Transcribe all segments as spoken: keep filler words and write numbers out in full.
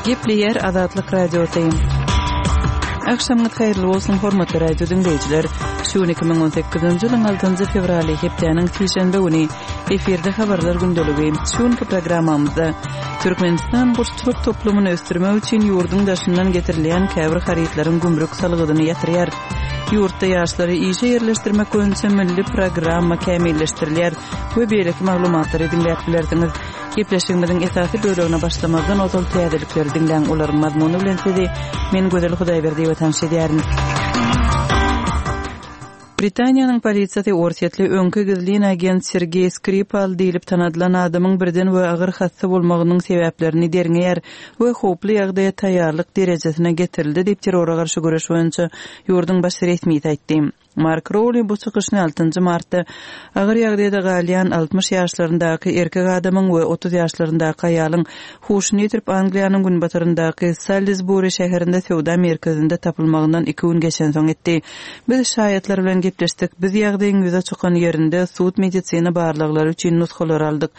Gepleýär Azatlyk Radiosy. Agşamyňyz haýyrly bolsun, hormatly radio diňleýjiler. Şu gün iki müň on sekizinji ýylyň altynjy fewraly, hepdäniň sişenbe güni. Efirde habarlar gündeligi. Şu günki programmamyzda Türkmenistan guşçulyk toplumyny ösdürmek üçin ýurduň daşyndan getirilýän käbir harytlaryň gümrük salgydyny ýatyrýar. Ýurtda ýaşlary işe ýerleşdirmek boýunça milli programma kämilleşdirilýär we beýleki maglumatlary diňläp bilersiňiz. Gepleşigimiziň esasy bölegine başlamazdan ozal täzelikleri diňläň, olaryň mazmuny bilen sizi men Gözel Hudaýberdiýewa tanyş edýärin. Britaniýanyň polisiýasy orsýetli öňki gizlin agent Sergeý Skripal diýlip tanadylan adamyň birden we agyr hassa bolmagynyň sebäplerini derňeýär we howply ýagdaýa taýýarlyk derejesine getirildi diýip terrora garşy göreş boýunça ýurduň baş resmisi aýtdy. Mark Rowli bu çykyşyny altynjy martda agyr ýagdaýda galýan altmyş ýaşlaryndaky erkek adamyň we otuz ýaşlaryndaky aýalyň huşuny ýitirip Angliýanyň günbataryndaky Salisbury şäherinde söwda merkezinde tapylmagyndan iki gün geçensoň etdi. Biz şaýatlar bilen gepleşdik. Biz ýagdaýyň ýüze çykan ýerinde sud medisina barlaglary üçin nusgalar aldyk.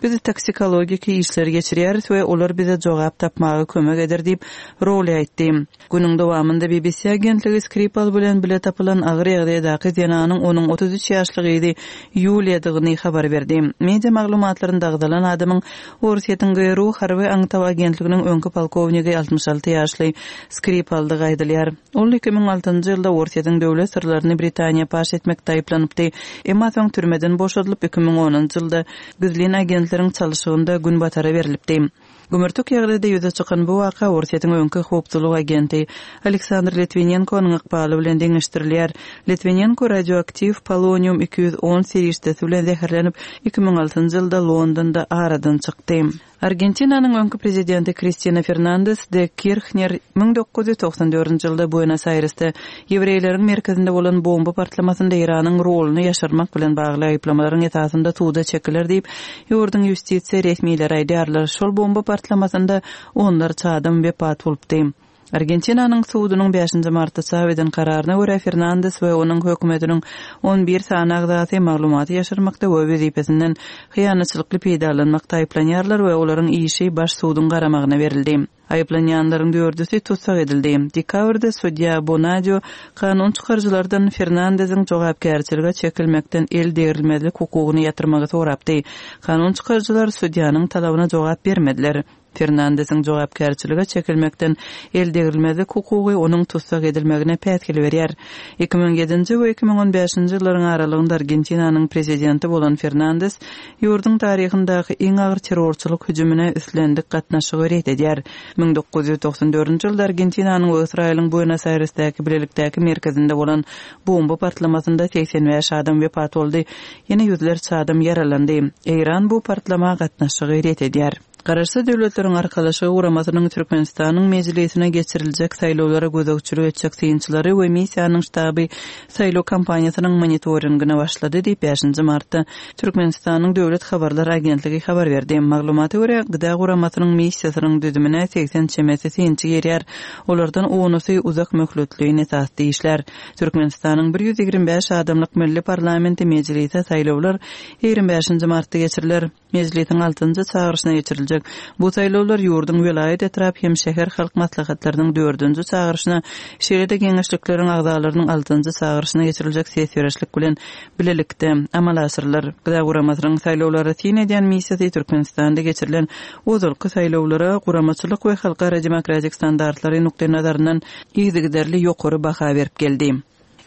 Biz toksikologiki işleri geçirýäris we olar bize jogap tapmaga kömek eder diýip Rowli aýtdy. Günüň dowamynda B B C agentligi Skripal bilen bile tapylan agyr ýagdaýdaky zenanyň onuň otuz üç ýaşly gyzy Ýuliýadygyny habar berdi. Media maglumatlarynda agzalan adamyň Orsýetiň G R U harby aňtaw agentliginiň öňki polkownigi altmyş alty ýaşly Skripaldygy aýdylýar. Ol iki müň altynjy ýylda Orsýetiň döwlet syrlaryny Britaniýa paş etmekde aýyplanypdy. Emma soň türmeden boşadylyp iki müň onunjy ýylda gizlin agentleriň çalşygynda günbatara berilipdi. Gümürtik ýagdaýda ýüze çykan bu waka Orsýetiň öňki howpsuzlyk agenti Aleksandr Litwinenkonyň ykbaly bilen deňeşdirilýär. Litwinenko radioaktiw polonium iki ýüz on serişdesi bilen zäherlenip iki müň altynjy ýylda Londonda aradan çykdy. Argentinanyň öňki prezidenti Kristina Fernandez de Kirchner müň dokuz ýüz togsan dördünji ýylda Buenos Airesde ýewreýleriň merkezinde bolan bomba partlamasynda Eýranyň roluny ýaşyrmak bilen bagly aýyplamalaryň esasynda suda çekiler diýip, ýurduň ýustisiýa resmileri aýdýarlar. Şol bomba partlamasynda onlarça adam wepat bolupdy. Argentinanyň sudunyň bäşinji martda çap eden kararyna görä Fernandez we onuň hökümetiniň on bir sany agzasy maglumaty ýaşyrmakda we wezipesinden hyýanatçylykly peýdalanmakda aýyplanýarlar we olaryň işi baş suduň garamagyna berildi. Aýyplanýanlaryň dördüsi tussag edildi. Dekabrda sudýa Bonadio kanun çykaryjylardan Fernandeziň jogapkärçilige çekilmekden el degrilmezlik hukugyny ýatyrmagy sorapdy. Kanun çykaryjylar sudýanyň talabyna jogap bermediler. Fernandeziň jogapkärçilige çekilmekden el degrilmezlik hukugy onuň tussag edilmegine päsgel berýär. iki müň ýedinji we iki müň on bäşinji ýyllaryň aralygynda Argentinanyň prezidenti bolan Fernandez ýurduň taryhyndaky iň agyr terrorçylyk hüjümine islendik gatnaşygy ret edýär. Müň dokuz ýüz togsan dördünji ýylda Argentinanyň we Ysraýylyň Buenos Airesdäki bilelikdäki merkezinde bolan bomba partlamasynda seksen bäş adam wepat boldy. Ýene ýüzlerçe adam ýaralandy. Eýran bu partlama gatnaşygy ret edýär. Garaşsyz Döwletleriň Arkalaşygy guramasynyň Türkmenistanyň mejlisine geçiriljek saýlawlara gözegçilik etjek synçylary we missiýanyň ştaby saýlaw kampaniýasynyň monitoringine başlady diýip bäşinji martda Türkmenistanyň Döwlet Habarlar Agentligi habar berdi. Maglumata görä, Gıda guramasynyň missiýasynyň düzümine seksen çemesi synçy girýär. Olardan onusy uzak möhletli esasda işler. Türkmenistanyň bir ýüz ýigrimi bäş adamlyk milli parlamenti mejlise saýlawlar ýigrimi bäşinji martda geçiriler. Mejlisiň altynjy çagyryşyna geçiriljek bu saýlawlar ýurduň welaýat etrap hem şäher halk maslahatlarynyň dördünji çagyryşyna, şeýle-de geňeşlikleriň agzalarynyň altynjy çagyryşyna geçiriljek ses berişlik bilen bilelikde amala aşyrylar. Gıda guramasynyň saýlawlara syn edýän missiýasy Türkmenistanda geçirilen ozalky saýlawlara guramaçylyk we halkara demokratik standartlary nukdaý nazaryndan yzygiderli ýokary baha berip geldi.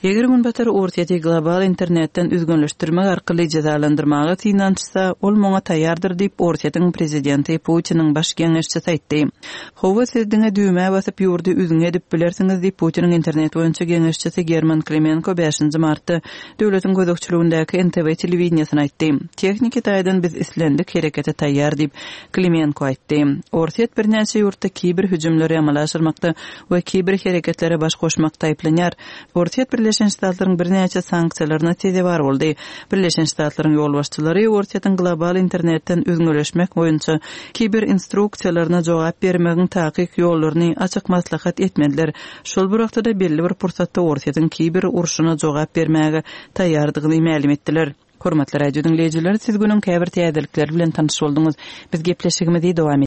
Eger Günbatar Orsýeti global internetden üzgünleşdirmek arkaly jezalandyrmaga synanyşsa, ol muňa taýýardyr diýip Orsýetiň prezidenti Putiniň baş geňeşçisi aýtdy. Hawa, siz diňe düwmä basyp ýurdy üzňe edip bilersiňiz diýip Putiniň internet boýunça geňeşçisi German Klimenko bäşinji martda döwletiň gözegçiligindäki N T V telewideniýesine aýtdy. Tehniki taýdan biz islendik herekete taýýar diýip Klimenko aýtdy. Orsýet birnäçe ýurtda kiber hüjümleri amala aşyrmakda we kiber hereketlere baş goşmakda aýyplanýar. Orsýet Birleşen Ştatlaryň birnäçe sanksiýalaryna sezewar boldy. Birleşen Ştatlaryň ýolbaşçylary Orsýetiň global internetden üzňeleşmek boýunça kiber instruksiýalaryna jogap bermegiň takyk ýollaryny açyk maslahat etmediler. Şol bir wagtda belli bir pursatda Orsýetiň kiber urşuna jogap bermäge taýýardygyny mälim etdiler. Hormatly radio diňleýjiler, siz günüň käbir täzelikleri bilen tanyş bolduňyz. Biz gepleşigimizi dowam